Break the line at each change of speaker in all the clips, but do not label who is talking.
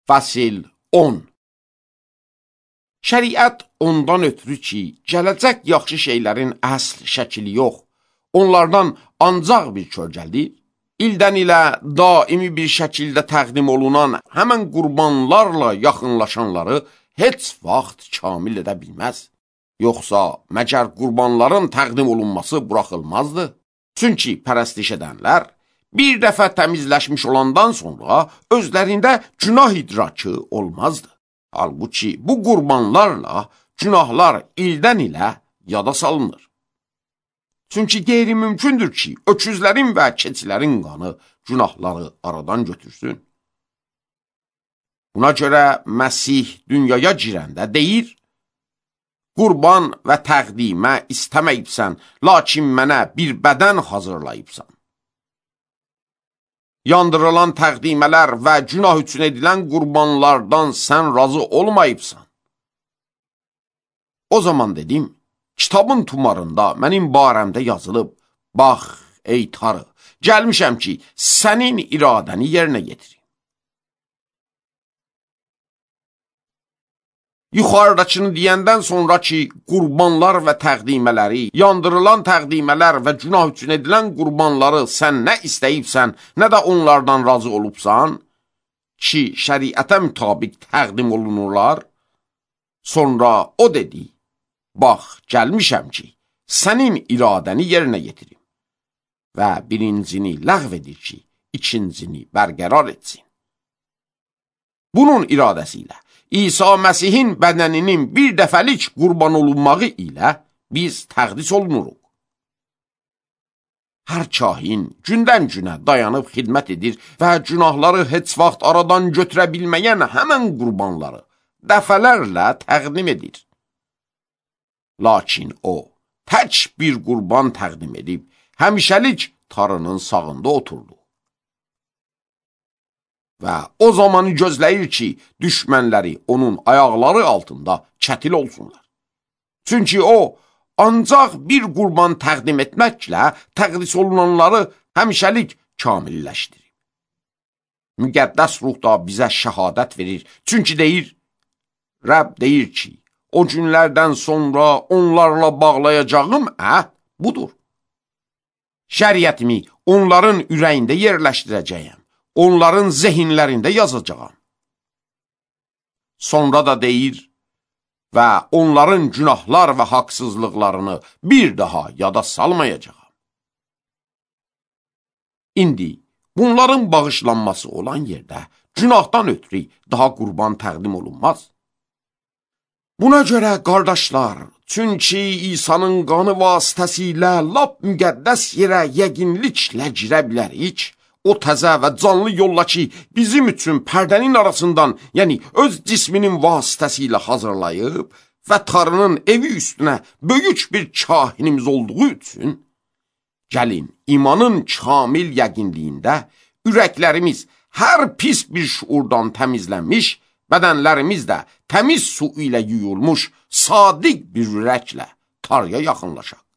Fəsil 10. Şəriət ondan ötürü ki, gələcək yaxşı şeylərin əsl şəkili yox, onlardan ancaq bir kölgəlidir, ildən ilə daimi bir şəkildə təqdim olunan həmən qurbanlarla yaxınlaşanları heç vaxt kamil edə bilməz. Yoxsa məgər qurbanların təqdim olunması buraxılmazdı? Çünki pərəstiş edənlər bir dəfə təmizləşmiş olandan sonra özlərində günah idrakı olmazdı. Halbuki bu qurbanlarla günahlar ildən ilə yada salınır. Çünki qeyri-mümkündür ki, öküzlərin və keçilərin qanı günahları aradan götürsün. Buna görə Məsih dünyaya girəndə deyir, qurban və təqdimə istəməyibsən, lakin mənə bir bədən hazırlayıbsan. Yandırılan təqdimələr və günah üçün edilən qurbanlardan sən razı olmayıbsan. O zaman dedim, kitabın tumarında mənim barəmdə yazılıb, bax, ey Tanrı, gəlmişəm ki, sənin iradəni yerinə yetirim. Yuxarıdakını deyəndən sonra ki, qurbanlar və təqdimələri, yandırılan təqdimələr və günah üçün edilən qurbanları sən nə istəyibsən, nə də onlardan razı olubsan, ki, şəriətə mütabiq təqdim olunurlar, sonra o dedi, bax, gəlmişəm ki, sənin iradəni yerinə yetirim və birincini ləğv edir ki, ikincini bərqərar etsin. Bunun iradəsi ilə İsa Məsihin bədəninin bir dəfəlik qurban olunmağı ilə biz təqdis olunuruq. Hər kahin gündən günə dayanıb xidmət edir və günahları heç vaxt aradan götürə bilməyən həmən qurbanları dəfələrlə təqdim edir. Lakin o, tək bir qurban təqdim edib, həmişəlik Tanrının sağında oturdu. Və o zamanı gözləyir ki, düşmənləri onun ayaqları altında çətil olsunlar. Çünki o, ancaq bir qurban təqdim etməklə təqdis olunanları həmişəlik kamilləşdirir. Müqəddəs ruh da bizə şəhadət verir. Çünki deyir, Rəbb deyir ki, o günlərdən sonra onlarla bağlayacağım əhd budur. Şəriətimi onların ürəyində yerləşdirəcəyəm. Onların zehinlərində yazacağam. Sonra da deyir və onların günahlar və haqsızlıqlarını bir daha yada salmayacağam. İndi bunların bağışlanması olan yerdə günahdan ötürü daha qurban təqdim olunmaz. Buna görə qardaşlar, çünki İsa'nın qanı vasitəsilə lap müqəddəs yerə yəqinliklə girə bilərik, o təzə və canlı yolla ki, bizim üçün pərdənin arasından, yəni öz cisminin vasitəsilə hazırlayıb və Tanrının evi üstünə böyük bir kahinimiz olduğu üçün, gəlin, imanın kamil yəqinliyində ürəklərimiz hər pis bir şuurdan təmizlənmiş, bədənlərimiz də təmiz su ilə yuyulmuş, sadiq bir ürəklə Tanrıya yaxınlaşaq.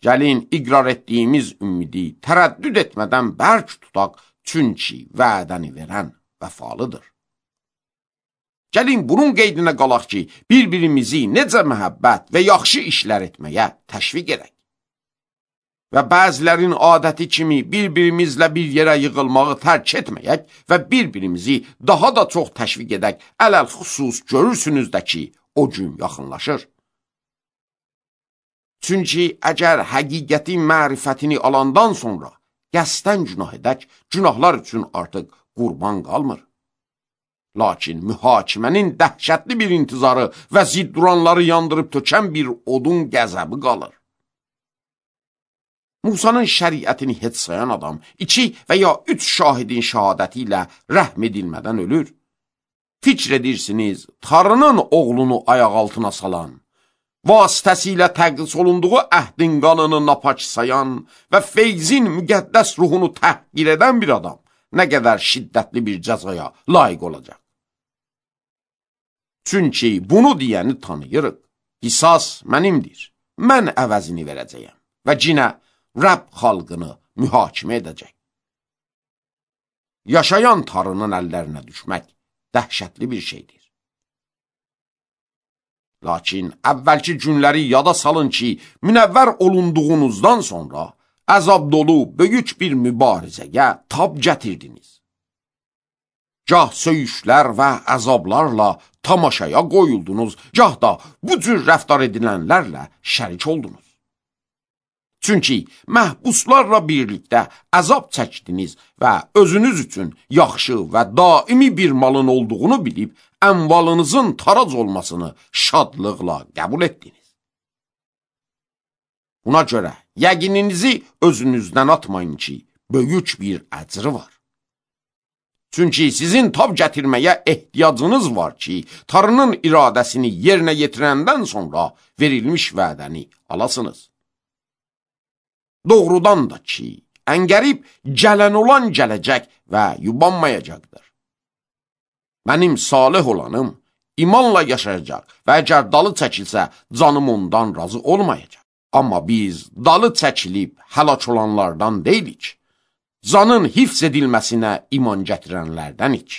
Gəlin, iqrar etdiyimiz ümidi tərəddüd etmədən bərk tutaq, çünki vədəni verən vəfalıdır. Gəlin, bunun qeydinə qalaq ki, bir-birimizi necə məhəbbət və yaxşı işlər etməyə təşviq edək. Və bəzilərin adəti kimi bir-birimizlə bir yerə yığılmağı tərk etməyək və bir-birimizi daha da çox təşviq edək, ələl xüsus görürsünüz də ki, o gün yaxınlaşır. Çünki əgər həqiqətin mərifətini alandan sonra qəsdən günah edək, günahlar üçün artıq qurban qalmır. Lakin mühakimənin dəhşətli bir intizarı və zidduranları yandırıb tökən bir odun qəzəbi qalır. Musanın şəriətini heç sayan adam 2 və ya 3 şahidin şəhadəti ilə rəhm edilmədən ölür. Fikr edirsiniz, Tanrının oğlunu ayaq altına salan, vasitəsilə təqdis olunduğu əhdin qanını napaç sayan və feyzin müqəddəs ruhunu təhqir edən bir adam nə qədər şiddətli bir cəzaya layiq olacaq. Çünki bunu deyəni tanıyırıq. Qisas mənimdir, mən əvəzini verəcəyəm və cinə Rəbb xalqını mühakimə edəcək. yaşayan tarının əllərinə düşmək dəhşətli bir şeydir. Lakin əvvəlki günləri yada salın ki, münəvvər olunduğunuzdan sonra əzab dolu böyük bir mübarizəyə tab gətirdiniz. Gah söyüşlər və əzablarla tamaşaya qoyuldunuz, gah da bu cür rəftar edilənlərlə şərik oldunuz. Çünki məhbuslarla birlikdə əzab çəkdiniz və özünüz üçün yaxşı və daimi bir malın olduğunu bilib, əmvalınızın tarac olmasını şadlıqla qəbul etdiniz. Buna görə yəqininizi özünüzdən atmayın ki, böyük bir əcri var. Çünki sizin tab gətirməyə ehtiyacınız var ki, Tanrının iradəsini yerinə yetirəndən sonra verilmiş vədəni alasınız. Doğrudan da ki, əngərib gələn olan gələcək və yubanmayacaqdır. Mənim salih olanım imanla yaşayacaq və əgər dalı çəkilsə, canım ondan razı olmayacaq. Amma biz dalı çəkilib həlak olanlardan deyilik, canın hifz edilməsinə iman gətirənlərdənik.